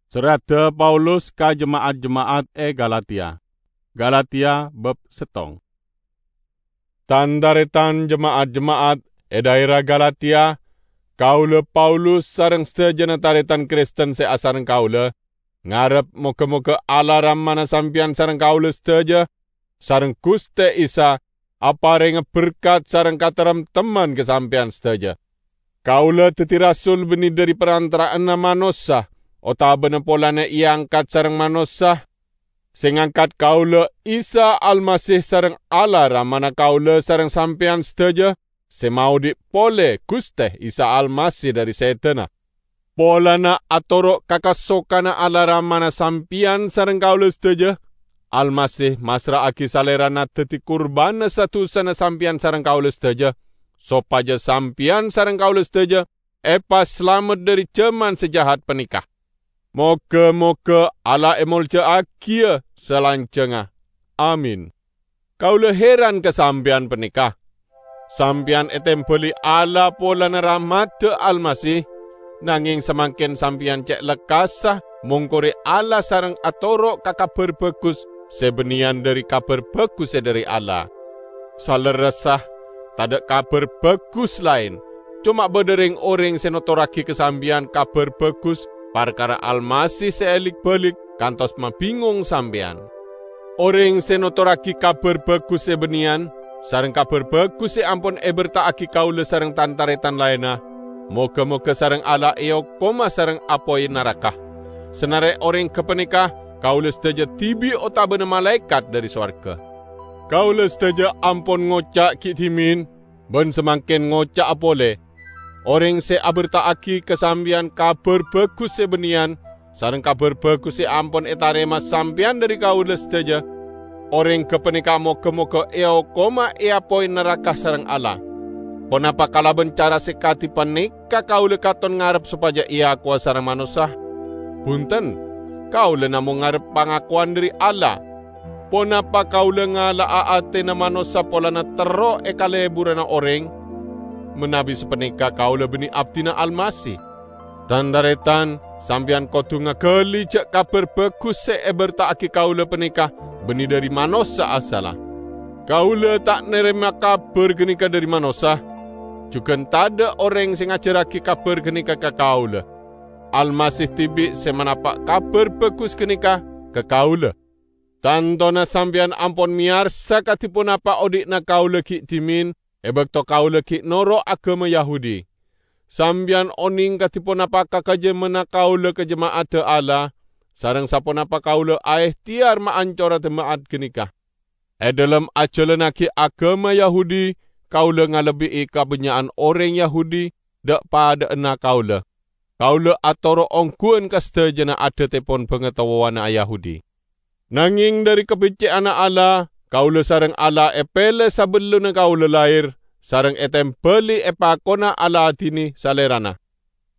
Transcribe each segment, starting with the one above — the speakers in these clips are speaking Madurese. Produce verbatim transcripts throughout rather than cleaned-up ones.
Serradda Paulus ka jema'at-jema'at è Galatia. Galatia bab settong. Tan-taretan jema'at-jema'at è dhaera Galatia, kaula Paulus sareng sadajana taretan Kristen sè asareng kaula, ngarep moga-moga Allah Ramana sampeyan sareng kaula sadaja, sareng Guste Isa, aparenga berkat sareng kataremtemman ka sampeyan sadaja. Kaula daddi rasul banne dhari parantara'anna manossa otabana polana eangkat sareng manossa, sè ngangkat kaula Isa Almasih sareng Allah Ramana kaula sareng sampeyan sadaja, sè maodhi' pole Guste Isa Almasih dhari sedana. Polana atoro' ka kasokanna Allah Ramana sampeyan sareng kaula sadaja, Almasih massra'agi Salerana daddi kurbanna sa-dusana sampeyan sareng kaula sadaja, sopaja sampeyan sareng kaula sadaja epasalamet dhari jaman sè jahat paneka. Moga-moga Allah emolja'agiya salanjangnga. Amin. Kaula heran ka sampeyan paneka. Sampeyan etembali Allah polana rahmadda Almasih, nangeng samangken sampeyan ce' lekkassa mongkore Allah sareng atoro' ka Kabar Bagus sè banneyan dhari Kabar Bagus sè dhari Allah. Salerressa, tadha' Kabar Bagus laen, coma badha reng-oreng sè notorragi ka sampeyan Kabar Bagus parkara Almasih sè alik-balik kantos mabingong sampeyan. Oreng sè notorragi Kabar Bagus sè banneyan sareng Kabar Bagus sè ampon eberta'agi kaula sareng tan-taretan laenna, moga-moga sareng Allah eokoma sareng apoy naraka. Sanare oreng gapaneka kaula sadaja dibi' otabana malaekat dhari sowarga. Kaula sadaja ampon ngoca' gi' dhimen, ban samangken ngoca'a pole, oreng sè aberta'agi ka sampeyan Kabar Bagus sè banneyan sareng Kabar Bagus sè ampon etarema sampeyan dhari kaula sadaja, oreng gapaneka moga-moga eokoma e apoy naraka sareng Allah. Ponapa kalaban cara sè kadi paneka kaula katon ngarep sopaja eakowa sareng manossa? Bunten, kaula namong ngarep pangakowan dhari Allah. Ponapa kaula ngala'a atena manossa polana terro ekaleburana oreng? Manabi sapaneka kaula banne abdina Almasih. Tan-taretan, sampeyan kodu ngagali ja' Kabar Bagus sè eberta'agi kaula paneka banne dhari manossa asalla. Kaula ta' narema kabar ganeka dhari manossa, jugan tadha' oreng sè ngajarragi kabar ganeka ka kaula. Almasih dibi' sè manapa' Kabar Bagus ganeka ka kaula. Tantona sampeyan ampon meyarsa kadi ponapa odhi'na kaula gi' dhimen e bakto kaula gi' noro' agama Yahudi. Sampeyan oneng kadi ponapa kakajammanna kaula ka jema'adda Allah, sareng saponapa kaula aehteyar maancora jema'at ganeka. E dhalem ajalannagi agama Yahudi, kaula ngalebbi'i kabânnya'an oreng Yahudi dha'-padha'anna kaula. Kaula atoro' ongghuwân ka sadajana adhattepon bangatowana Yahudi. Nangeng dhari kabecce'anna Allah, kaula sareng Allah epele sabellunna kaula laher, sareng etembali epakona aladine Salerana.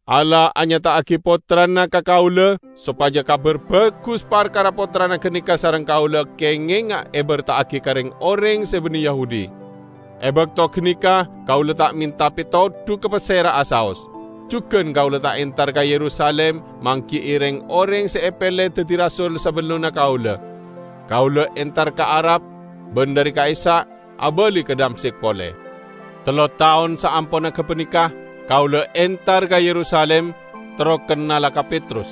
Allah anyata'agi Pottrana ka kaula sopaja Kabar Bagus parkara Pottrana ganeka sareng kaula kengenga eberta'agi ka reng-oreng se banne Yahudi. E bakto ganeka kaula ta' menta petodu ka pasera'a saos. Jugan kaula ta' entar ka Yerusalim manggi'i reng-oreng se epele daddi rasul sabellunna kaula. Kaula entar ka Arab, ban dhari ka'issa' abali ka Damsyik pole. Tello taon saamponna gapaneka, kaula entar ka Yerusalim, terro kennala ka Petrus.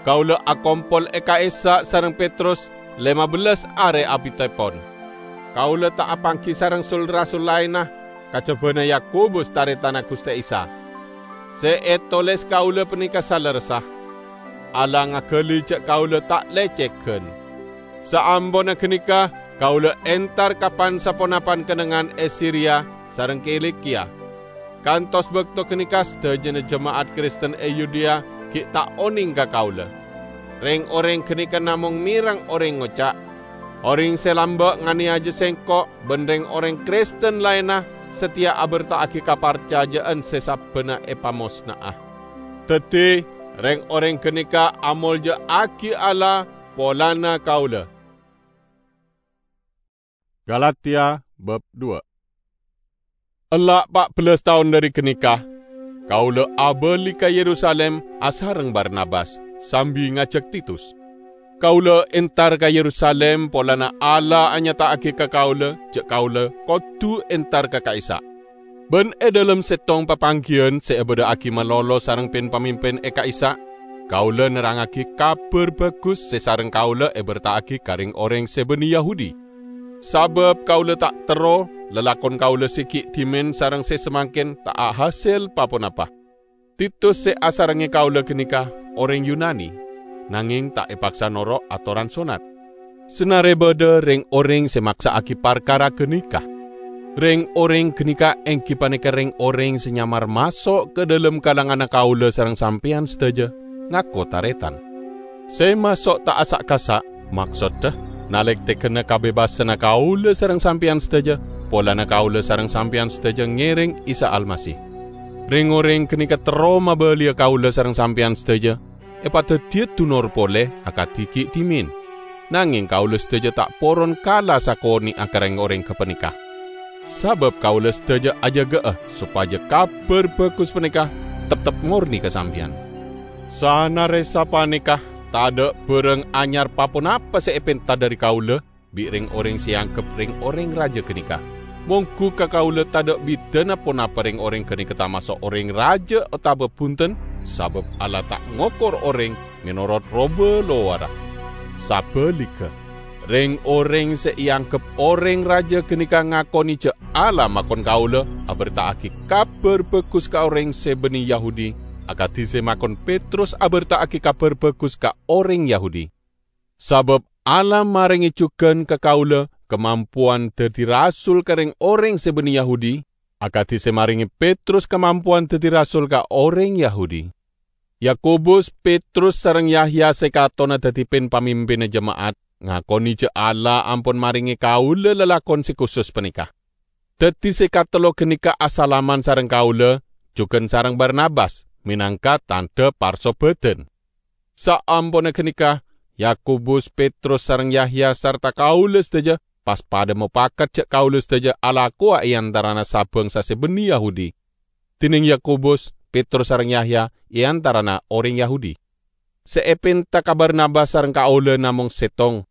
Kaula akompol e ka'issa' sareng Petrus lema bellas are abitepon. Kaula ta' apanggi sareng sul-rasul laenna, kajabana Yakobus, taretanna Guste Isa. Se etoles kaula paneka salerressa. Allah ngagali ja' kaula ta' lecegan. Saamponna ganeka, kaula entar ka pan-saponapan kennengngan e Siria sareng Kilikia. Kantos bakto ganeka sadajana jema'at Kristen e Yudea gi' ta' oneng ka kaula. Reng-oreng ganeka namong merang oreng ngoca', "Oreng se lamba' nganeyaja sengko' ban reng-oreng Kristen laenna sateya aberta'agi kaparcaja'an se sabbana epamosna'a." Daddi, reng-oreng ganeka amolja'agi Allah polana kaula. Galatia bab dua. Ella' pa' bellas taon dhari ganeka, kaula abali ka Yerusalim asareng Barnabas. sambi ngajhâk Titus. Kaulâ entar ka Yerusalim polana Allah anyata'aghi ka kaulâ jhâ' kaulâ kodhu entar ka ka'issa'. Bân è dhâlem sèttong papangghiyân sè èbâdhâ'aghi malolo sareng pin-pamimpin è ka'issa', kaulâ nerrangngaghi Kabhâr Bhâghus sè sareng kaulâ èberta'aghi ka rèng-orèng sè bânnè Yahudi. Sabâb kaulâ ta' terro, lalakon kaulâ sè ghi' dhimèn sareng sè samangkèn ta' ahasèl pa-ponapa. Titus sè asarengngè kaulâ ghânèka orèng Yunani, nangèng ta' èpaksa noro' atoran sonnat. Sanarè bâdâ rèng-orèng sè maksa'aghi parkara ghânèka. Rèng-orèng ghânèka èngghi panèka rèng-orèng sè nyamar maso' ka dhâlem kalanganna kaulâ sareng sampèyan sadhâjâ, ngako tarètan. Sè maso' ta' asa'-kasa', maksoddhâ, nalèktèghânna kabebassanna kaulâ sareng sampèyan sadhâjâ, polana kaulâ sareng sampèyan sadhâjâ ngèrèng Isa Almasih. Rèng-orèng ghânèka terro mabâliyâ kaulâ sareng sampèyan sadhâjâ, èpadhâddhiyâ dunor polè akadhi ghi' dhimèn. Nangèng kaulâ sadhâjâ ta' poron kala sakonè'a ka rèng-orèng ghâpanèka. Sabâb kaulâ sadhâjâ ajâgâ'â sopajâ Kabhâr Bhâghus panèka teptep mornè ka sampèyan. Sanarè sapanèka, tadâ' bârâng anyar pa-ponapa sè èpènta dhâri kaulâ bi' rèng-orèng sè èangghep rèng-orèng rajâ ghânèka. Mongghu ka kaulâ tadâ' bhidhâna ponapa rèng-orèng ghânèka tamaso' orèng rajâ otabâ bhunten, sabâb Allah ta' ngokor orèng mènorot roba lowarra. Sabhâligghâ, rèng-orèng sè èangghep orèng rajâ ghânèka ngakonè jhâ' Allah makon kaulâ aberta'aghi Kabhâr Bhâghus ka orèng sè bânnè Yahudi, akadhi sè makon Petrus aberta'aghi Kabhâr Bhâghus ka orèng Yahudi. Sabâb Allah marèngè jhughân ka kaulâ kamampowan dhâddhi rasul ka rèng-orèng sè bânnè Yahudi, akadhi sè marèngè Petrus kamampowan dhâddhi rasul ka orèng Yahudi. Yakobus, Petrus sareng Yahya sè katona dhâddhi pin-pamimpinna jema'at, ngakonè jhâ' Allah ampon marèngè kaulâ lalakon sè kusus panèka. Dhâddhi sè katello ghânèka asalaman sareng kaulâ, jhughân sareng Barnabas, mènangka tandhâ parsobâdhân. Saamponna ghânèka, Yakobus, Petrus sareng Yahya sarta kaulâ sadhâjâ pas padâ mopakat jhâ' kaulâ sadhâjâ alakowa è antarana sa-bhângsa sè bânnè Yahudi. Dhinèng Yakobus, Petrus sareng Yahya è antarana orèng Yahudi. Sè èpènta ka Barnabas sareng kaulâ namong sèttong,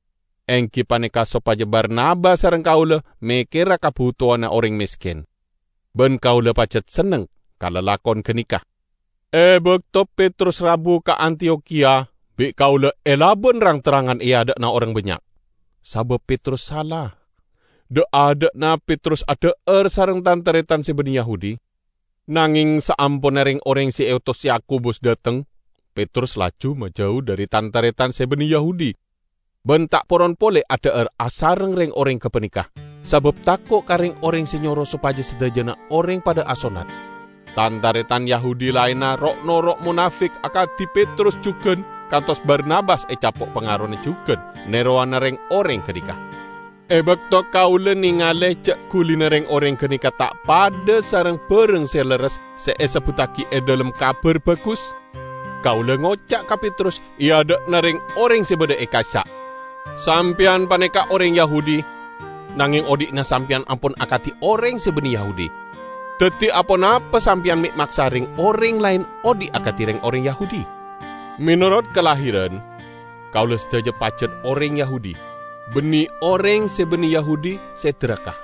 èngghi panèka sopajâ Barnabas sareng kaulâ mèkkèra kabhutowanna orèng mèskèn. Bân kaulâ pajhât senneng ka lalakon ghânèka. È bâkto Petrus rabu ka Antiyokhiya, bi' kaulâ èlabân rang-terrangan è adâ'na orèng bânnya'. Sabâb Petrus sala. Dâ'-adâ'na Petrus adhâ'âr sareng tan-tarètan sè bânnè Yahudi. Nangèng saamponna rèng-orèng sè èotos Yakobus dâteng, Petrus laju majâu dhâri tan-tarètan sè bânnè Yahudi, bân ta' poron polè adhâ'âr asareng rèng-orèng ghâpanèka, sabâb tako' ka rèng-orèng sè nyoro sopajâ sadhâjâna orèng padâ asonnat. Tan-tarètan Yahudi laènna ro'-noro' monafèk akadhi Petrus jhughân, kantos Barnabas ècapo' pangarona jhughân nèrowana rèng-orèng ghânèka. È bâkto kaulâ nèngalè jhâ' ghulina rèng-orèng ghânèka ta' padâ sareng bhârâng sè lerres sè èsebbhuttaghi è dhâlem Kabhâr Bhâghus, kaulâ ngoca' ka Petrus è adâ'na rèng-orèng sè bâdâ è ka'issa', "Sampèyan panèka orèng Yahudi, nangèng odhi'na sampèyan ampon akadhi orèng sè bânnè Yahudi. Dhâddhi, aponapa sampèyan mè' maksa rèng-orèng laèn odhi' akadhi rèng-orèng Yahudi? Mènorot kalahèran, kaulâ sadhâjâ pajhât orèng Yahudi, bânnè orèng sè bânnè Yahudi sè dhâraka.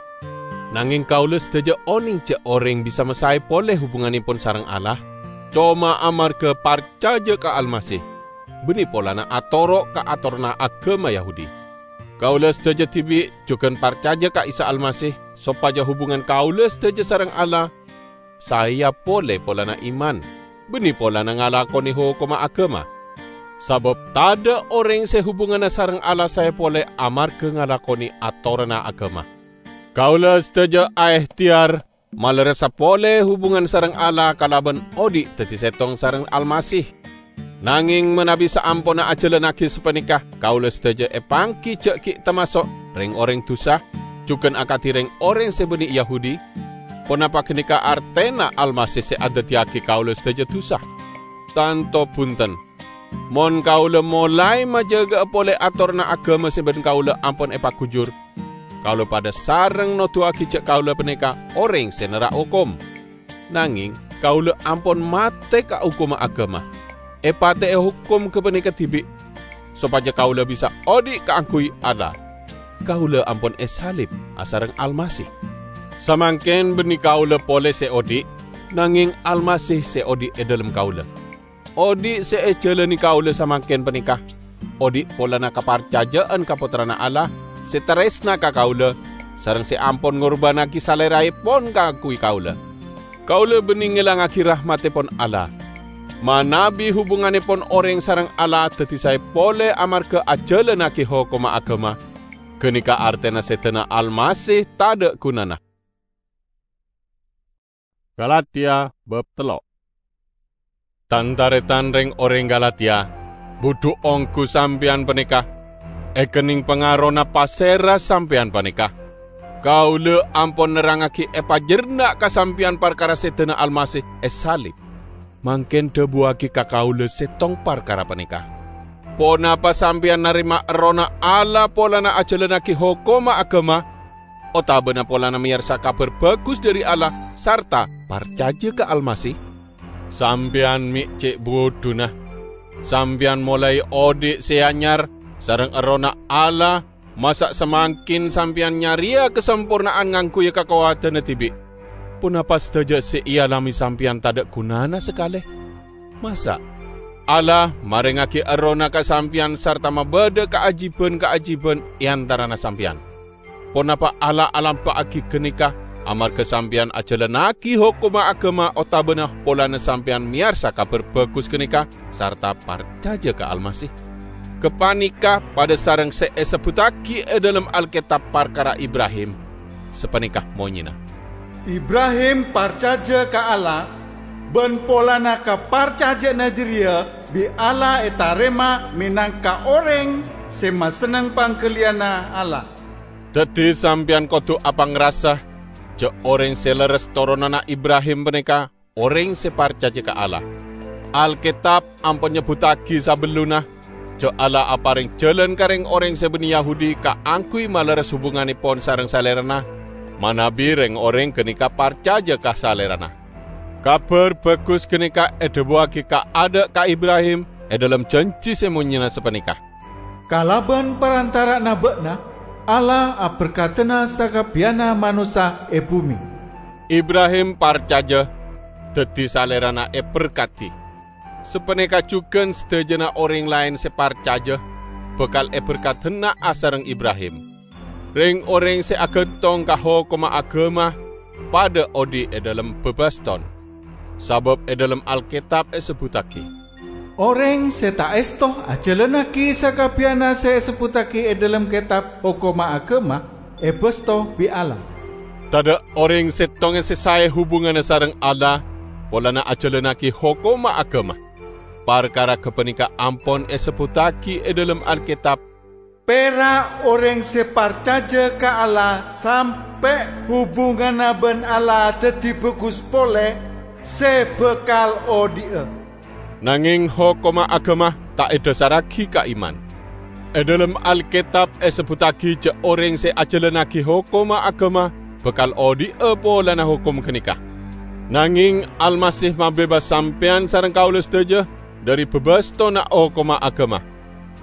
Nangèng kaulâ sadhâjâ onèng jhâ' orèng bisa masaè polè hubungannèpon sareng Allah, coma amarghâ parcajâ ka Almasih, bânnè polana atoro' ka atoranna aghâma Yahudi. Kaulâ sadhâjâ dhibi' jhughân parcajâ ka Isa Almasih, sopajâ hubungan kaulâ sadhâjâ sareng Allah saèya polè polana iman, bânnè polana ngalakonè hokomma aghâma. Sabâb tadâ' orèng sè hubunganna sareng Allah saè polè amarghâ ngalakonè atoranna aghâma. Kaulâ sadhâjâ aèhtèyar malerressa polè hubungan sareng Allah kalabân odhi' dhâddhi sèttong sareng Almasih. Nangèng manabi saamponna ajhâlannaghi sapanèka, kaulâ sadhâjâ èpangghi jhâ' ghi' tamaso' rèng-orèng dusa, jhughân akadhi rèng-orèng sè bânnè Yahudi, ponapa ghânèka artèna Almasih sè adhâddhiyâghi kaulâ sadhâjâ dusa? Tanto bhunten! Mon kaulâ molaè majâgâ'â polè atoranna aghâma sè bân kaulâ ampon èpaghujur, kaulâ padâ sareng noduwâghi jhâ' kaulâ panèka orèng sè nerrak hokom. Nangèng kaulâ ampon matè ka hokomma aghâma. Èpatè'è hokom ghâpanèka dhibi', sopajâ kaulâ bisa odi' kaangghuy Allah. Kaulâ ampon èsalib asareng Almasih. Samangkèn bânnè kaulâ polè sè odi', nangèng Almasih sè odi' è dhâlem kaulâ. Odi' sè èjhâlâni kaulâ samangkèn panèka, odi' polana kaparcajâ'ân ka Pottrana Allah sè tarèsna ka kaulâ, sareng sè ampon ngorbânnaghi Salèrraèpon kaangghuy kaulâ. Kaulâ bânnè ngèlangngaghi rahmattèpon Allah. Manabi hubungannèpon orèng sareng Allah dhâddhi saè polè amarghâ ajhâlânnaghi hokomma aghâma, ghânèka artèna sèdhâna Almasih tadâ' ghunana. Galatia bab tello'. Tan-tarètan rèng-orèng Galatia, budhu ongghu sampèyan panèka èkennèng pangarona pasèra sampèyan panèka. Kaulâ ampon nerrangngaghi èpajhârna' ka sampèyan parkara sèdhâna Almasih èsalib. Mangkèn dhâbuwâghi ka kaulâ sèttong parkara panèka. Ponapa sampèyan narèma Errohna Allah polana ajhâlânnaghi hokomma aghâma, otabâna polana mèyarsa Kabhâr Bhâghus dhâri Allah sarta parcajâ ka Almasih? Sampèyan mè' cè' budhuna. Sampèyan molaè odi' sè anyar sareng Errohna Allah, masa' samangkèn sampèyan nyarèya kasamporna'an ngangghuya kakowadhânna dhibi'. Ponapa sadhâjâ sè èalamè sampèyan tadâ' ghunana sakalè? Masa' Allah marèngngaghi Errohna ka sampèyan sarta mabâdâ kaajibhân-kaajibhân è antarana sampèyan? Ponapa Allah alampa'aghi ghânèka amarghâ sampèyan ajhâlânnaghi hokomma aghâma otabâna polana sampèyan mèyarsa Kabhâr Bhâghus ghânèka sarta parcajâ ka Almasih? Ghâpanèka padâ sareng sè èsebbhuttaghi è dhâlem Alkètab parkara Ibrahim. Sapanèka monyèna, "Ibrahim parcajâ ka Allah, bân polana kaparcajâ'ânna jârèya bi' Allah ètarèma mènangka orèng sè masenneng pangghâliyânna Allah." Dhâddhi, sampèyan kodhu apangrasa jhâ' orèng sè lerres toronanna Ibrahim panèka orèng sè parcajâ ka Allah. Alkètab ampon nyebbhuttaghi sabellunna jhâ' Allah aparèng jhâlân ka rèng-orèng sè bânnè Yahudi kaangghuy malerres hubungannèpon sareng Salèrana, manabi rèng-orèng ghânèka parcajâ ka Salèrana. Kabhâr Bhâghus ghânèka èdhâbuwâghi kaadâ' ka Ibrahim è dhâlem jhânjhi sè monyèna sapanèka, "Kalabân parantara'anna bâ'na, Allah aberkadhâna sakabbiyanna manossa è bhumè." Ibrahim parcajâ, dhâddhi salèrana èberkadhi. Sapanèka jhughân sadhâjâna orèng laèn sè parcajâ bhâkal èberkadhâna asareng Ibrahim. Rèng-orèng sè aghântong ka hokomma aghâma padâ odi' è dhâlem bâbâston, sabâb è dhâlem Alkètab èsebbhuttaghi, "Orèng sè ta' èsto ajhâlânnaghi sakabbiyanna sè èsebbhuttaghi è dhâlem Kètab Hokomma Aghâma èbâsto bi' Allah." Tadâ' orèng sèttonga sè saè hubunganna sareng Allah polana ajhâlânnaghi hokomma aghâma. Parkara ghâpanèka ampon èsebbhuttaghi è dhâlem Alkètab, "Pèra' orèng sè parcajâ ka Allah sampè' hubunganna bân Allah dhâddhi bhâghus polè, sè bhâkal odi'â." Nangèng hokomma aghâma ta' èdhâsarraghi ka iman. È dhâlem Alkètab èsebbhuttaghi jhâ' orèng sè ajhâlânnaghi hokomma aghâma bhâkal odi'â polana hokom ghânèka. Nangèng Almasih mabebas sampèyan sareng kaulâ sadhâjâ dhâri bâbâstonna hokomma aghâma.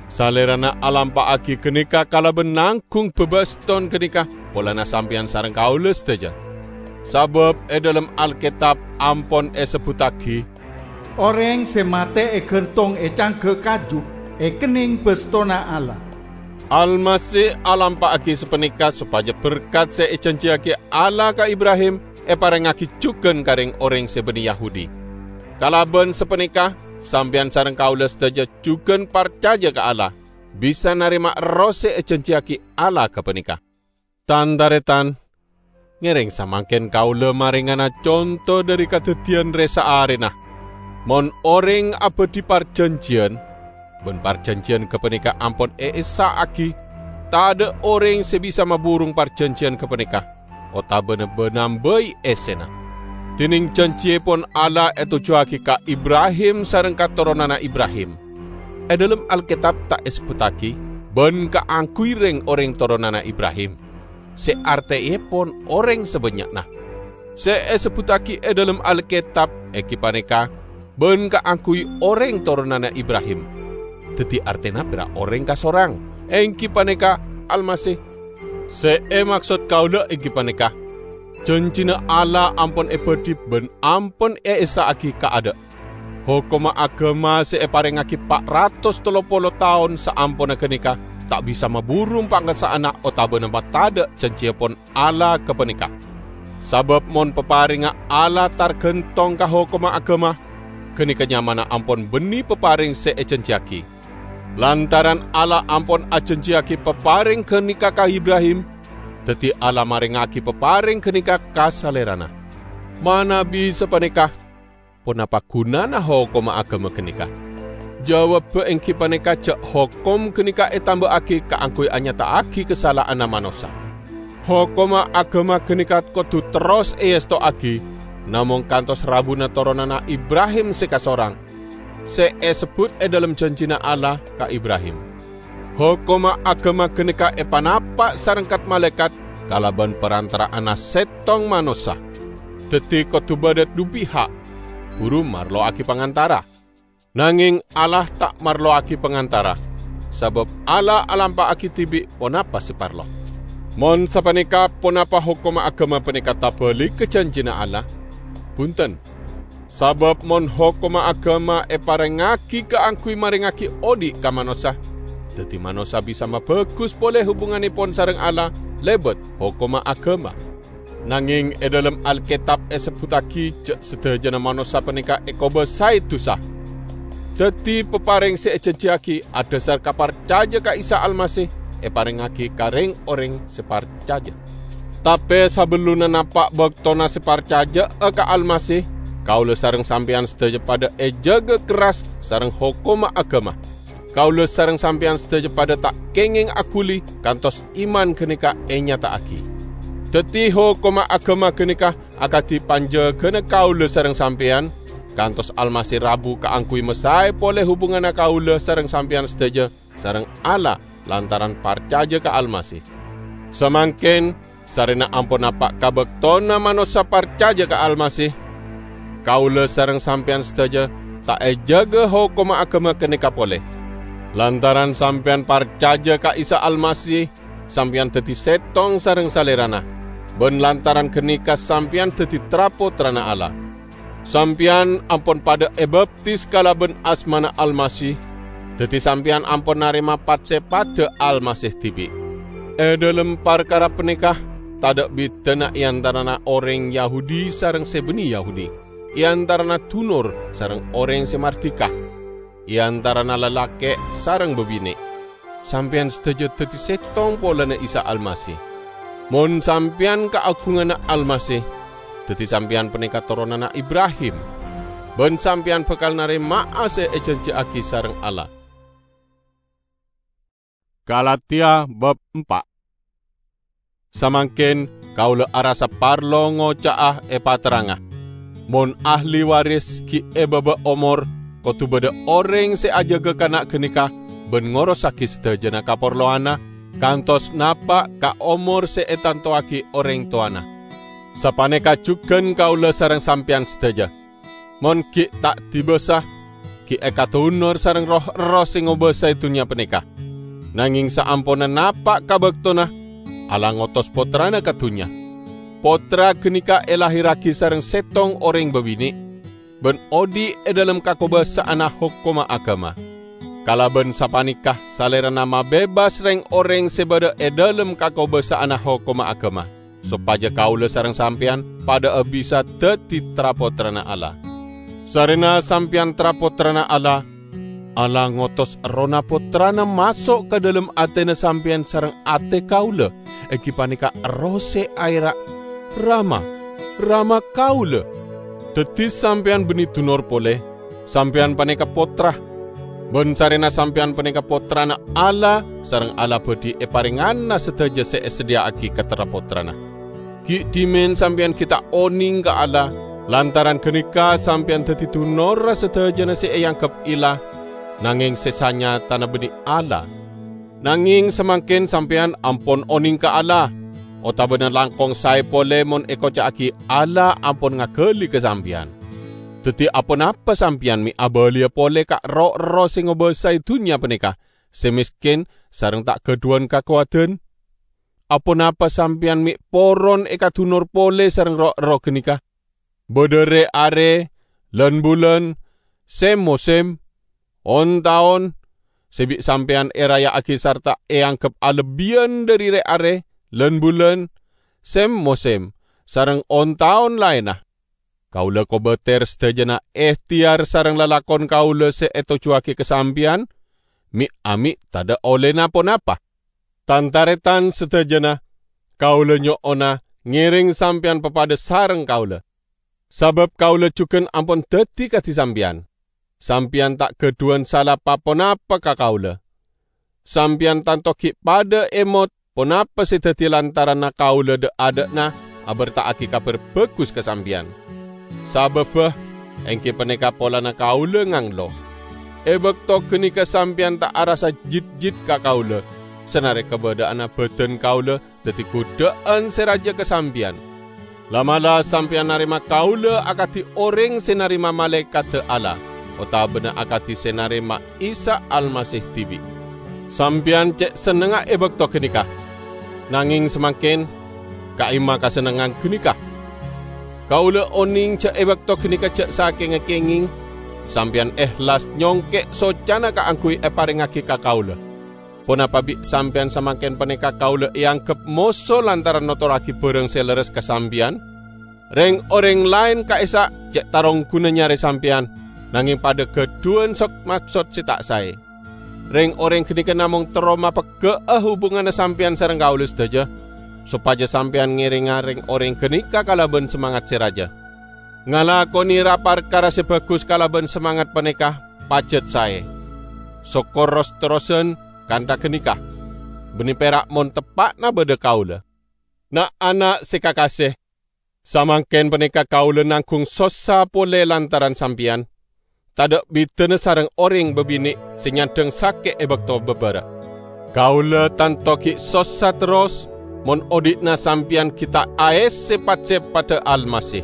Salèrana alampa'aghi ghânèka kalabân nangghung bâbâston ghânèka polana sampèyan sareng kaulâ sadhâjâ. Sabâb è dhâlem Alkètab ampon èsebbhuttaghi, "Orèng sè matè èghântong è cangghâ kaju èkennèng bâstona Allah." Almasih alampa'aghi sapanèka sopajâ berkat sè èjhânjhiyaghi Allah ka Ibrahim èparèngngaghi jhughân ka rèng-orèng sè bânnè Yahudi. Kalabân sapanèka, sampèyan sareng kaulâ sadhâjâ jhughân parcajâ ka Allah, bisa narèma Erroh sè èjhânjhiyaghi Allah ghâpanèka. Tan-tarètan, ngèrèng samangkèn kaulâ marèngana conto dhâri kadhâddhiyân rè-saarèna. Mon orèng abâdhi parjhânjhiyân, bân parjhânjhiyân ghâpanèka ampon èessa'aghi, tadâ' orèng sè bisa maburung parjhânjhiyân ghâpanèka, otabâna bânambâi essèna. Dhinèng jhânjhiyèpon Allah ètojjhuwâghi ka Ibrahim sareng katoronanna Ibrahim. È dhâlem Alkètab ta' èsebbhuttaghi, "Bân kaangghuy rèng-orèng toronanna Ibrahim," sè artèèpon orèng sabânnya'na. Sè èsebbhuttaghi è dhâlem Alkètab èngghi panèka, bân kaangghuy orèng toronanna Ibrahim. Dhâddhi artèna pèra' orèng kasorang, èngghi panèka Almasih. Sè èmaksod kaulâ èngghi panèka, janjina Allah ampon èbâdhi bân ampon èessa'aghi kaadâ'. Hokomma aghâma sè èparèngngaghi pa' ratos tello polo taon saamponna ghânèka ta' bisa maburu pangassa'anna otabâna matadâ' janjièpon Allah ghâpanèka. Sabâb mon paparèngnga Allah targhântong ka hokomma aghâma, ghânèka nyamana ampon bânnè paparèng sè èjanjiyaghi. Lantaran Allah ampon ajanjiyaghi paparèng ghânèka ka Ibrahim, dhâddhi Allah marèngngaghi paparèng ghânèka ka salèrana. Manabi sapanèka, ponapa ghunana hokomma aghâma ghânèka? Jawabbhâ èngghi panèka jhâ' hokom ghânèka ètambâ'âghi kaangghuy anyata'aghi kasala'anna manossa. Hokomma aghâma ghânèka kodhu terros èèsto'aghi, namong kantos rabuna toronanna Ibrahim sè kasorang, sè èsebbhut è dhâlem janjina Allah ka Ibrahim. Hokomma aghâma ghânèka èpanapa' sareng kat-malaèkat kalabân parantara'anna sèttong manossa. Dhâddhi kodhu bâdâ du piha', buru marlowaghi pangantara. Nangèng Allah ta' marlowaghi pangantara, sabâb Allah alampa'aghi dhibi' ponapa sè parlo. Mon sapanèka, ponapa hokomma aghâma panèka tabâligghâ janjina Allah? Bhunten! Sabâb mon hokomma aghâma èparèngngaghi kaangghuy marèngngaghi odhi' ka manossa, dhâddhi manossa bisa mabhâghus polè hubungannèpon sareng Allah lèbât hokomma aghâma. Nangèng è dhâlem Alkètab èsebbhuttaghi jhâ' sadhâjâna manossa panèka èkobâsaè dhusa. Dhâddhi, paparèng sè èjanjiyaghi adhâsar ka parcajâ ka Isa Almasih èparèngngaghi ka rèng-orèng sè parcajâ. Tapè sabellunna napa' bâktona sè parcajâ'â ka Almasih, kaulâ sareng sampèyan sadhâjâ padhâ èjâgâ kerras sareng hokomma aghâma. Kaulâ sareng sampèyan sadhâjâ padhâ ta' kèngèng aghuli kantos iman ghânèka ènyata'aghi. Dhâddhi, hokomma aghâma ghânèka akadhi panjâgâna kaulâ sareng sampèyan, kantos Almasih rabu kaangghuy masaè polè hubunganna kaulâ sareng sampèyan sadhâjâ sareng Allah lantaran parcajâ ka Almasih. Samangkèn, sarèna ampon napa' ka bâktona manossa parcajâ ka Almasih, kaulâ sareng sampèyan sadhâjâ ta' èjâgâ hokomma aghâma ghânèka polè. Lantaran sampèyan parcajâ ka Isa Almasih, sampèyan dhâddhi sèttong sareng Salèrana, bân lantaran ghânèka sampèyan dhâddhi tra-pottrana Allah. Sampèyan ampon padhâ èbaptis kalabân asmana Almasih, dhâddhi sampèyan ampon narèma pat-sèpadhâ Almasih dhibi'. È dhâlem parkara panèka, tadhâ' bhidhâna è antarana orèng Yahudi sareng sè bânnè Yahudi, è antarana dunor sareng orèng sè mardhika, è antarana lalakè' sareng bâbinè'. Sampèyan sadhâjâ dhâddhi sèttong polana Isa Almasih. Mon sampèyan kaagunganna Almasih, dhâddhi sampèyan panèka toronanna Ibrahim, bân sampèyan bhâkal narèma'a sè èjanjiyaghi sareng Allah. Galatia bab empa'. Samangkèn kaulâ arassa parlo ngoca'a èpaterranga. Mon ahli waris ghi' è bâbâ omor, kodhu bâdâ orèng sè ajâgâ kana' ghânèka bân ngorossaghi sadhâjâna kaparlowanna, kantos napa' ka omor sè ètantowaghi orèng towana. Sapanèka jhughân kaulâ sareng sampèyan sadhâjâ. Mon ghi' ta' dibâsa, ghi' èkadunor sareng roh erroh sè ngobâsaè dhunnya panèka. Nangèng saamponna napa' ka bâktona, Allah ngotos Pottrana ka dhunnya. Pottra ghânèka èlahèrraghi sareng sèttong orèng bâbinè', bân odhi' è dhâlem kakobâsa'anna hokomma aghâma. Kalabân sapanèka Salèrana mabebas rèng-orèng sè bâdâ è dhâlem kakobâsa'anna hokomma aghâma, sopajâ kaulâ sareng sampèyan padhâ'â bisa dhâddhi tra-pottrana Allah. Sarèna sampèyan tra-pottrana Allah, Allah ngotos Errohna Pottrana maso' ka dhâlem atèna sampèyan sareng atè kaulâ, èngghi panèka Erroh sè aèra', "Rama, Rama kaulâ!" Dhâddhi sampèyan bânnè dunor polè, sampèyan panèka pottra. Bân sarèna sampèyan panèka pottrana Allah, sareng Allah bhâdhi èparèngana sadhâjâ sè èsadhiyâ'aghi ka tra-pottrana. Ghi' dhimèn sampèyan ghi' ta' onèng ka Allah, lantaran ghânèka sampèyan dhâddhi dunorra sadhâjâna sè èangghep ella, nangèng sè sanyatana bânnè Allah. Nangèng samangkèn sampèyan ampon onèng ka Allah, otabâna langkong saè polè mon èkoca'aghi Allah ampon ngaghâli ka sampèyan. Daddi, aponapa sampeyan me' abaliya pole ka ro'-erro' se ngobasae dunnya paneka, se mesken sareng ta' gadhuwan kakowadan? Aponapa sampeyan me' poron ekadunor pole sareng ro'-erro' ganeka? Badha re-are, lan-bulan, sem-mosem, on-taon, se bi' sampeyan eraya'agi sarta eanggep alebbiyan dhari re-are, lan-bulan, sem-mosem, sareng on-taon laenna. Kaula kobater sadajana ehteyar sareng lalakon kaula se etojjuwagi ka sampeyan, me'-ame' tadha' ollena ponapa. Tan-taretan sadajana, kaula nyo'ona ngereng sampeyan papadha sareng kaula. Sabab kaula jugan ampon daddi kadi sampeyan. Sampeyan ta' gadhuwan sala pa-ponapa ka kaula. Sampeyan tanto gi' padha emot ponapa se daddi lantaranna kaula dha'-adha'na aberta'agi Kabar Bagus ka sampeyan. Sababba, enggi paneka polana kaula nganglo. E bakto ganeka sampeyan ta' arassa jitjit ka kaula, sanare kabadha'anna badan kaula daddi gudha'an se raja ka sampeyan. La'-mala' sampeyan narema kaula akadi oreng se narema malaekadda Allah, otabana akadi se narema Isa Almasih dibi'. Sampeyan ce' sennengnga e bakto ganeka, nangeng samangken ka'imma kasennengngan ganeka. Kaula oneng ja' e bakto ganeka ja' sakenga kengeng, sampeyan ehlas nyongke' socana kaangguy eparengngagi ka kaula. Ponapa bi' sampeyan samangken paneka kaula eanggep moso lantaran notorragi barang se lerres ka sampeyan? Reng-oreng laen ka'issa' ce' tarongguna nyare sampeyan, nangeng padha gadhuwan sod-maksod se ta' sae. Reng-oreng ganeka namong terro mapegga'a hubunganna sampeyan sareng kaula sadaja, sopaja sampeyan ngerenga reng-oreng ganeka kalaban samangat se raja. Ngalakone ra-parkara se bagus kalaban samangat paneka pajat sae. Sokkor ros-terrosan kantha ganeka, banne pera' mon teppa'na badha kaula. Na'-ana' se kakase, samangken paneka kaula nanggung sossa pole lantaran sampeyan, tadha' bidana sareng oreng babine' se nyandhang sake' e bakto babara'. Kaula tanto gi' sossa terros mon odhi'na sampeyan gi' ta' aesse pat-seppadda Almasih.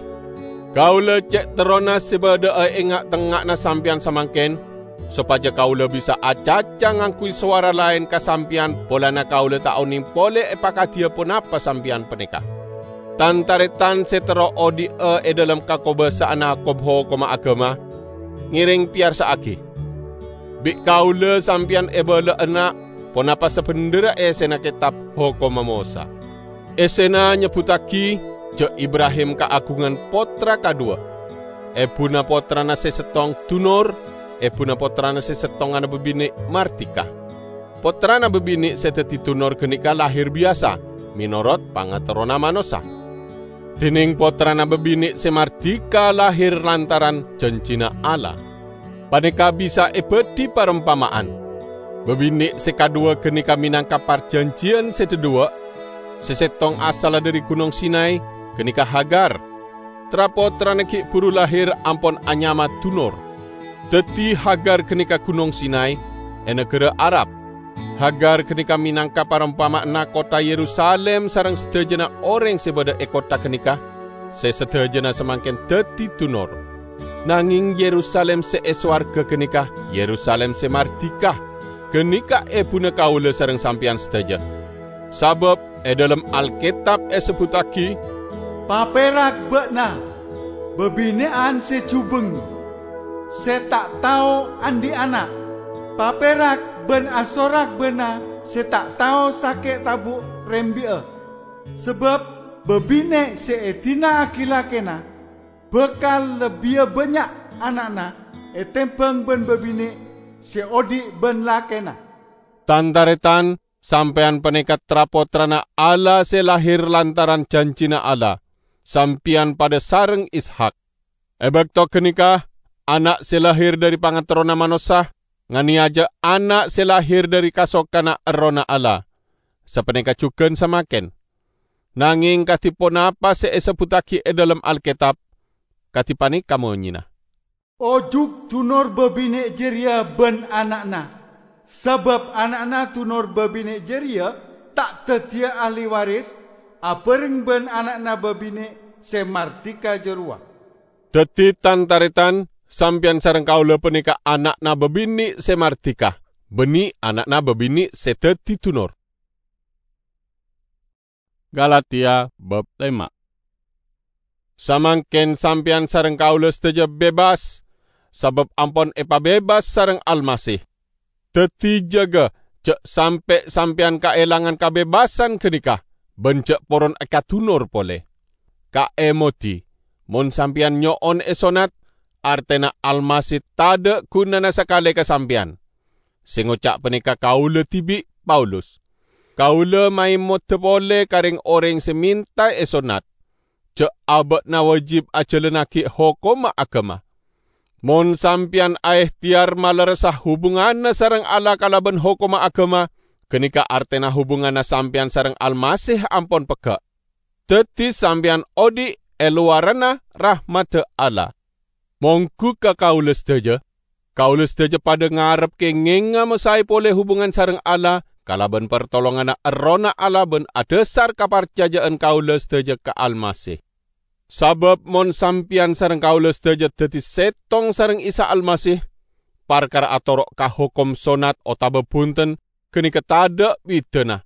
Kaula ce' terrona se badha'a e nga'-tengnga'anna sampeyan samangken, sopaja kaula bisa acaca ngangguy sowara laen ka sampeyan polana kaula ta' oneng pole epakadiya ponapa sampeyan paneka. Tan-taretan se terro odhi'a e dhalem kakobasa'anna kobhokomma agama, ngereng peyarsa'agi. Bi' kaula sampeyan ebala'ana ponapa sabendherra essena Ketab Hokomma Mosa. Essena nyebbuttagi ja' Ibrahim kaagungan pottra kadhuwa. Ebuna pottrana se settong dunor, ebuna pottrana se settonganna babine' mardika. Pottrana babine' se daddi dunor ganeka lahir biyasa, menorot pangaterrona manossa. Dineng pottrana babine' se mardika lahir lantaran janjina Allah. Paneka bisa ebadhi parompama'an. Babine' se kadhuwa ganeka menangka parjanjiyan se dhadhuwa', se settong asalla dhari Gunong Sinai, ganeka Hagar. Tra-pottrana gi' buru lahir ampon anyama dunor. Daddi Hagar ganeka Gunong Sinai, e nagara Arab. Hagar ganeka menangka parompama'anna kottha Yerusalim sareng sadajana oreng se badha e kottha ganeka, se sadajana samangken daddi dunor. Nangeng Yerusalim se e sowarga ganeka Yerusalim se mardika. Ganeka ebuna kaula sareng sampeyan sadaja. Sabab e dhalem Alketab esebbuttagi, "Paperak ba'na, babine'an se jubeng, se ta' tao andhi' ana'. Paperak ban asorak ba'na se ta' tao sake' tabu' rembi'a. Sabab babine' se edina'agi lakena bakal lebbiya bannya' ana'na etembang ban babine' se odhi' ban lakena." Tan-taretan, sampeyan paneka tra-pottrana Allah se lahir lantaran janjina Allah. Sampeyan padha sareng Ishak. E bakto ganeka, ana' se lahir dhari pangaterrona manossa nganeyaja ana' se lahir dhari kasokanna Errohna Allah. Sapaneka jugan samangken. Nangeng kadi ponapa se esebbuttagi e dhalem Alketab, kadi paneka monyena, "Ojuk dunor babine' jareya ban ana'na, sabab ana'na dunor babine' jareya ta' daddiya ahli waris abareng ban ana'na babine' se mardika jarowa." Daddi, tan-taretan, sampeyan sareng kaula paneka ana'na babine' se mardika, banne ana'na babine' se daddi dunor. Galatia bab lema. Samangken sampeyan sareng kaula sadaja bebas, sabab ampon epabebas sareng Almasih. Daddi jaga ja' sampe' sampeyan kaelangan kabebasan ganeka, ban ja' poron ekadunor pole. Kaemodi, mon sampeyan nyo'on esonnat, artena Almasih tadha' gunana sakale ka sampeyan. Se ngoca' paneka kaula dibi', Paulus. Kaula maemoda pole ka reng-oreng se menta esonnat, ja' aba'na wajib ajalannagi hokomma agama. Mon sampeyan aehteyar malerressa hubunganna sareng Allah kalaban hokomma agama, ganeka artena hubunganna sampeyan sareng Almasih ampon pegga'. Daddi sampeyan odhi' e lowaranna rahmadda Allah. Monggu ka kaula sadaja, kaula sadaja padha ngarep kengenga masae pole hubungan sareng Allah kalaban partolonganna Errohna Allah ban adhasar kaparcaja'an kaula sadaja ka Almasih. Sabab mon sampeyan sareng kaula sadaja daddi settong sareng Isa Almasih, parkara atoro' ka hokom sonnat otaba bunten, ganeka tadha' bidana.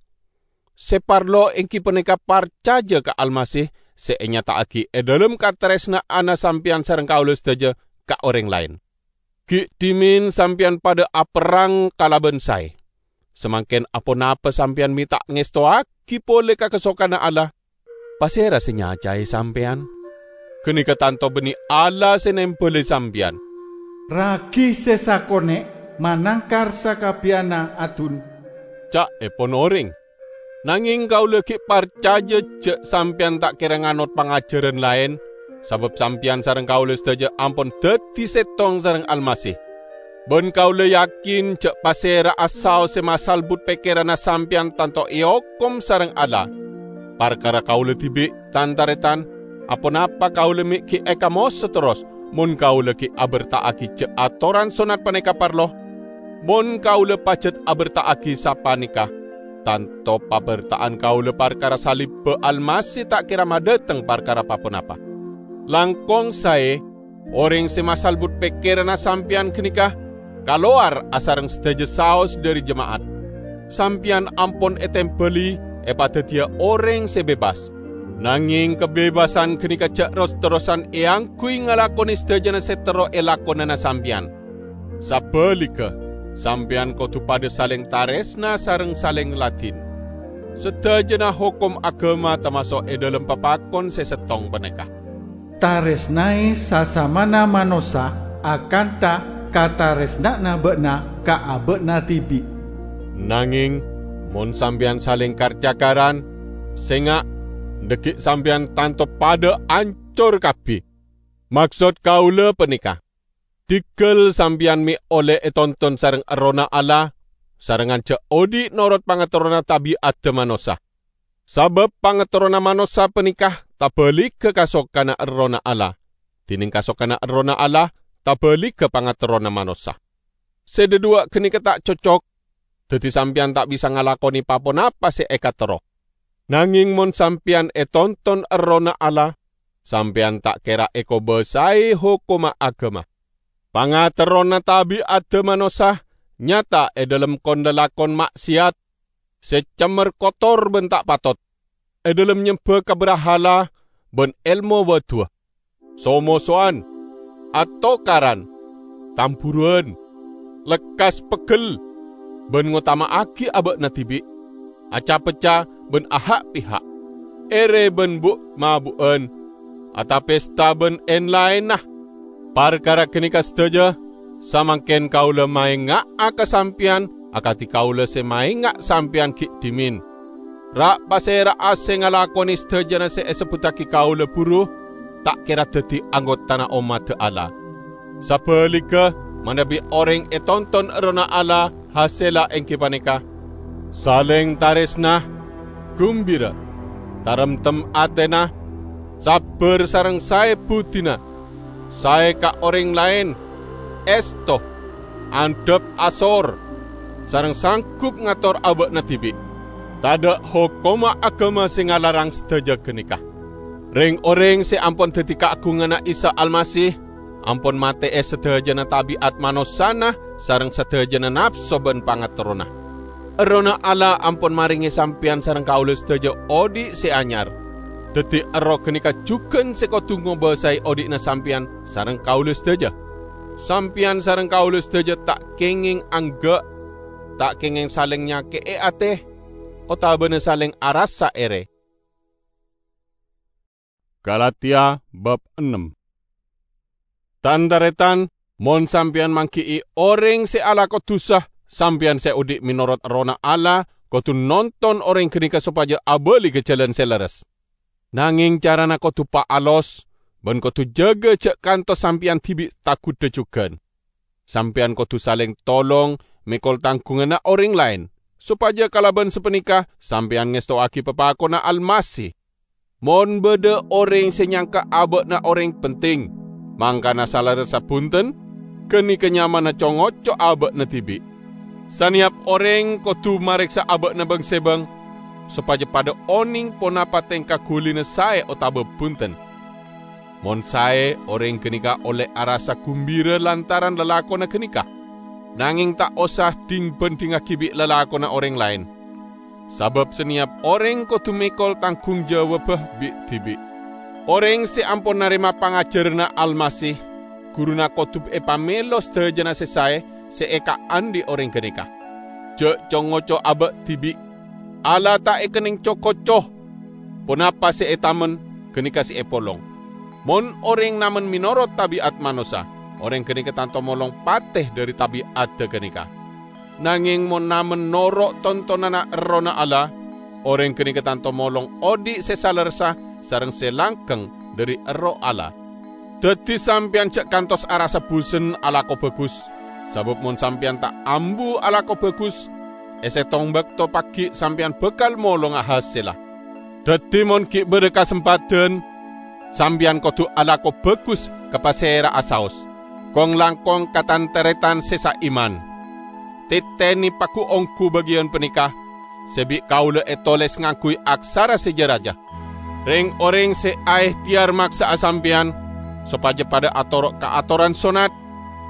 Se parlo enggi paneka parcaja ka Almasih se enyata'agi e dhalem kataresna'anna sampeyan sareng kaula sadaja ka oreng laen. Gi' dhimen sampeyan padha aperrang kalaban sae. Samangken aponapa sampeyan me' ta' ngestowagi pole ka kasokanna Allah? Pasera se nyacae sampeyan? Ganeka tanto banne Allah se nembali sampeyan. "Ragi se sakone' manangkar sakabbiyanna adun," ca'epon oreng. Nangeng kaula gi' parcaja ja' sampeyan ta' kera nganot pangajaran laen, sabab sampeyan sareng kaula sadaja ampon daddi settong sareng Almasih. Ban kaula yakin ja' pasera'a saos se masalbut pekkeranna sampeyan tanto eokom sareng Allah. Parkara kaula dibi', tan-taretan, aponapa kaula me' gi' ekamoso terros, mon kaula gi' aberta'agi ja' atoran sonnat paneka parlo? Mon kaula pajat aberta'agi sapaneka, tanto paberta'an kaula parkara salibba Almasih ta' kera madhateng parkara pa-ponapa. Langkong sae, oreng se masalbut pekkeranna sampeyan ganeka kalowar asareng sadaja saos dhari jema'at. Sampeyan ampon etembali epadaddiya oreng se bebas. Nangeng kabebasan ganeka ja' ros-terrosan eangguy ngalakone sadajana se terro elakonana sampeyan. Sabaligga, sampeyan kodu padha saleng taresna sareng saleng ladin. Sadajana hokom agama tamaso' e dhalem papakon se settong paneka. Taresnae sasamana manossa akantha kataresna'anna ba'na ka aba'na dibi'. Nangeng, mon sampeyan saleng kar-cakaran, senga', dhaggi' sampeyan tanto padha ancor kabbi. Maksod kaula paneka, diggal sampeyan me' olle etonton sareng Errohna Allah, sarengngan ja' odhi' norot pangaterrona tabi'adda manossa. Sabab pangaterrona manossa paneka tabaligga kasokanna Errohna Allah, dineng kasokanna Errohna Allah tabaligga pangaterrona manossa. Se dhadhuwa' ganeka ta' cocok, daddi sampeyan ta' bisa ngalakone pa-ponapa se ekaterro. Nangeng mon sampeyan etonton Errohna Allah, sampeyan ta' kera ekobasae hokomma agama. Pangaterrona tabi'adda manossa nyata e dhalem kon-lalakon ma'siyat, se cemmer kotor ban ta' patot, e dhalem nyemba ka brahala ban elmo baduwa, so-mosowan, atokaran, tamburuwan, lekkas peggel, ban ngotama'agi aba'na dibi', aca-pecca ban aha'-piha', ere ban bu'-mabu'an, atapesta ban en-laenna. Parkara ganeka sadaja, samangken kaula maenga'a ka sampeyan akadi kaula se maenga' sampeyan gi' dhimen. Ra'-pasera'a se ngalakone sadajana se esebbuttagi kaula buru, ta' kera daddi anggotana ommadda Allah. Sabaligga, manabi oreng etonton Errohna Allah, hasella enggi paneka: saleng taresna, gumbira, taremtem atena, sabbar sareng sae budina, sae ka oreng laen, esto, andhap asor, sareng sanggup ngator aba'na dibi'. Tadha' hokomma agama se ngalarang sadaja ganeka. Reng-oreng se ampon daddi kaagunganna Isa Almasih, ampon mate'e sadajana tabi'at manossana sareng sadajana napso ban pangaterrona. Errohna Allah ampon marenge sampeyan sareng kaula sadaja odhi' se anyar. Daddi, erroh ganeka jugan se kodu ngobasae odhi'na sampeyan sareng kaula sadaja. Sampeyan sareng kaula sadaja ta' kengeng angga', ta' kengeng saleng nyake'e ate, otabana saleng arassa ere. Galatia bab ennem. Tan-taretan, mon sampeyan manggi'i oreng se alako dusa, sampeyan se odhi' menorot Errohna Allah kodu nonton oreng ganeka sopaja abali ka jalan se lerres. Nangeng carana kodu paalos, ban kodu jaga ja' kantos sampeyan dibi' taguddha jugan. Sampeyan kodu saleng tolong mekol tanggunganna oreng laen, sopaja kalaban sapaneka sampeyan ngestowagi papakonna Almasih. Mon badha oreng se nyangka aba'na oreng penting, mangkana salerressa bunten, ganeka nyamana co-ngoco aba'na dibi'. Saneyap oreng kodu mareksa aba'na bang-sebang, sopaja padha oneng ponapa tengka gulina sae otaba bunten. Mon sae, oreng ganeka olle arassa gumbira lantaran lalakonna ganeka. Nangeng ta' osa dhing-bandhingngagi bi' lalakonna oreng laen. Sabab saneyap oreng kodu mekol tanggung jawabba bi'-dibi'. Oreng se ampon narema pangajaranna Almasih, guruna kodu epamelo sadajana se sae se ekaandhi' oreng ganeka. Ja' co-ngoco aba' dibi'. Allah ta' ekenneng co-koco. Ponapa se etamen, ganeka se epolong. Mon oreng namen menorot tabi'at manossa, oreng ganeka tanto molong pate dhari tabi'adda ganeka. Nangeng mon namen noro' tontonanna Errohna Allah, oreng ganeka tanto molong odhi' se salerressa sareng se langkeng dhari Erroh Allah. Daddi sampeyan ja' kantos arassa busen alako bagus, sabab mon sampeyan ta' ambu alako bagus, e settong bakto paggi' sampeyan bakal molonga hasella. Daddi mon gi' badha kasempadhan, sampeyan kodu alako bagus ka pasera'a saos, kong-langkong ka tan-taretan se saiman. Tetene pagu-onggu bagiyan paneka, se bi' kaula etoles ngangguy aksara se ja-raja. Reng-oreng se aehteyar maksa'a sampeyan sopaja padha atoro' ka atoran sonnat,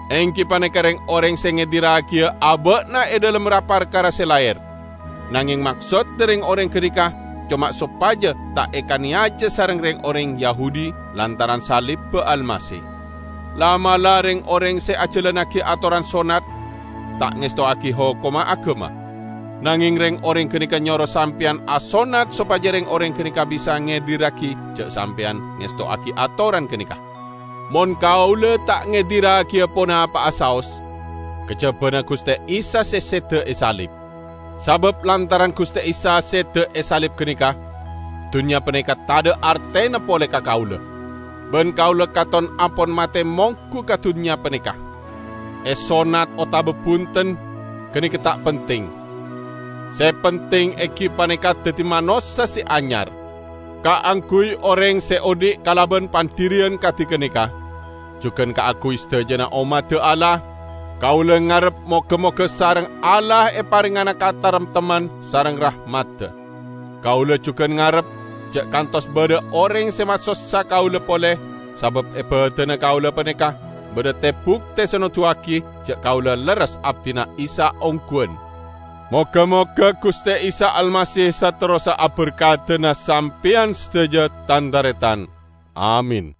enggi paneka reng-oreng se ngedirragiya aba'na e dhalem ra-parkara se laher. Nangeng maksodda reng-oreng ganeka coma sopaja ta' ekaneyaja sareng reng-oreng Yahudi lantaran salibba Almasih. La'-mala' reng-oreng se ajalannagi atoran sonnat ta' ngestowagi hokomma agama. Nangeng reng-oreng ganeka nyoro sampeyan asonnat sopaja reng-oreng ganeka bisa ngedirragi ja' sampeyan ngestowagi atoran ganeka. Mon kaula ta' ngedirragiya ponapa'a saos, kajabana Guste Isa se seda esalib. Sabab lantaran Guste Isa seda esalib ganeka, dunnya paneka tadha' artena pole ka kaula. Ban kaula katon ampon mate monggu ka dunnya paneka. Esonnat otaba bunten, ganeka ta' penting. Se penting enggi paneka daddi manossa se anyar. Kaangguy oreng se odhi' kalaban pandhiriyan kadi ganeka, jugan kaangguy sadajana ommadda Allah, kaula ngarep moga-moga sareng Allah eparengngana kataremtemman sareng rahmadda. Kaula jugan ngarep ja' kantos badha oreng se masossa kaula pole, sabab e badanna kaula paneka badha te-bukte se noduwagi ja' kaula lerres abdina Isa ongguwan. Moga-moga Guste Isa Almasih saterrossa aberkadana sampeyan sadaja, tan-taretan. Amin.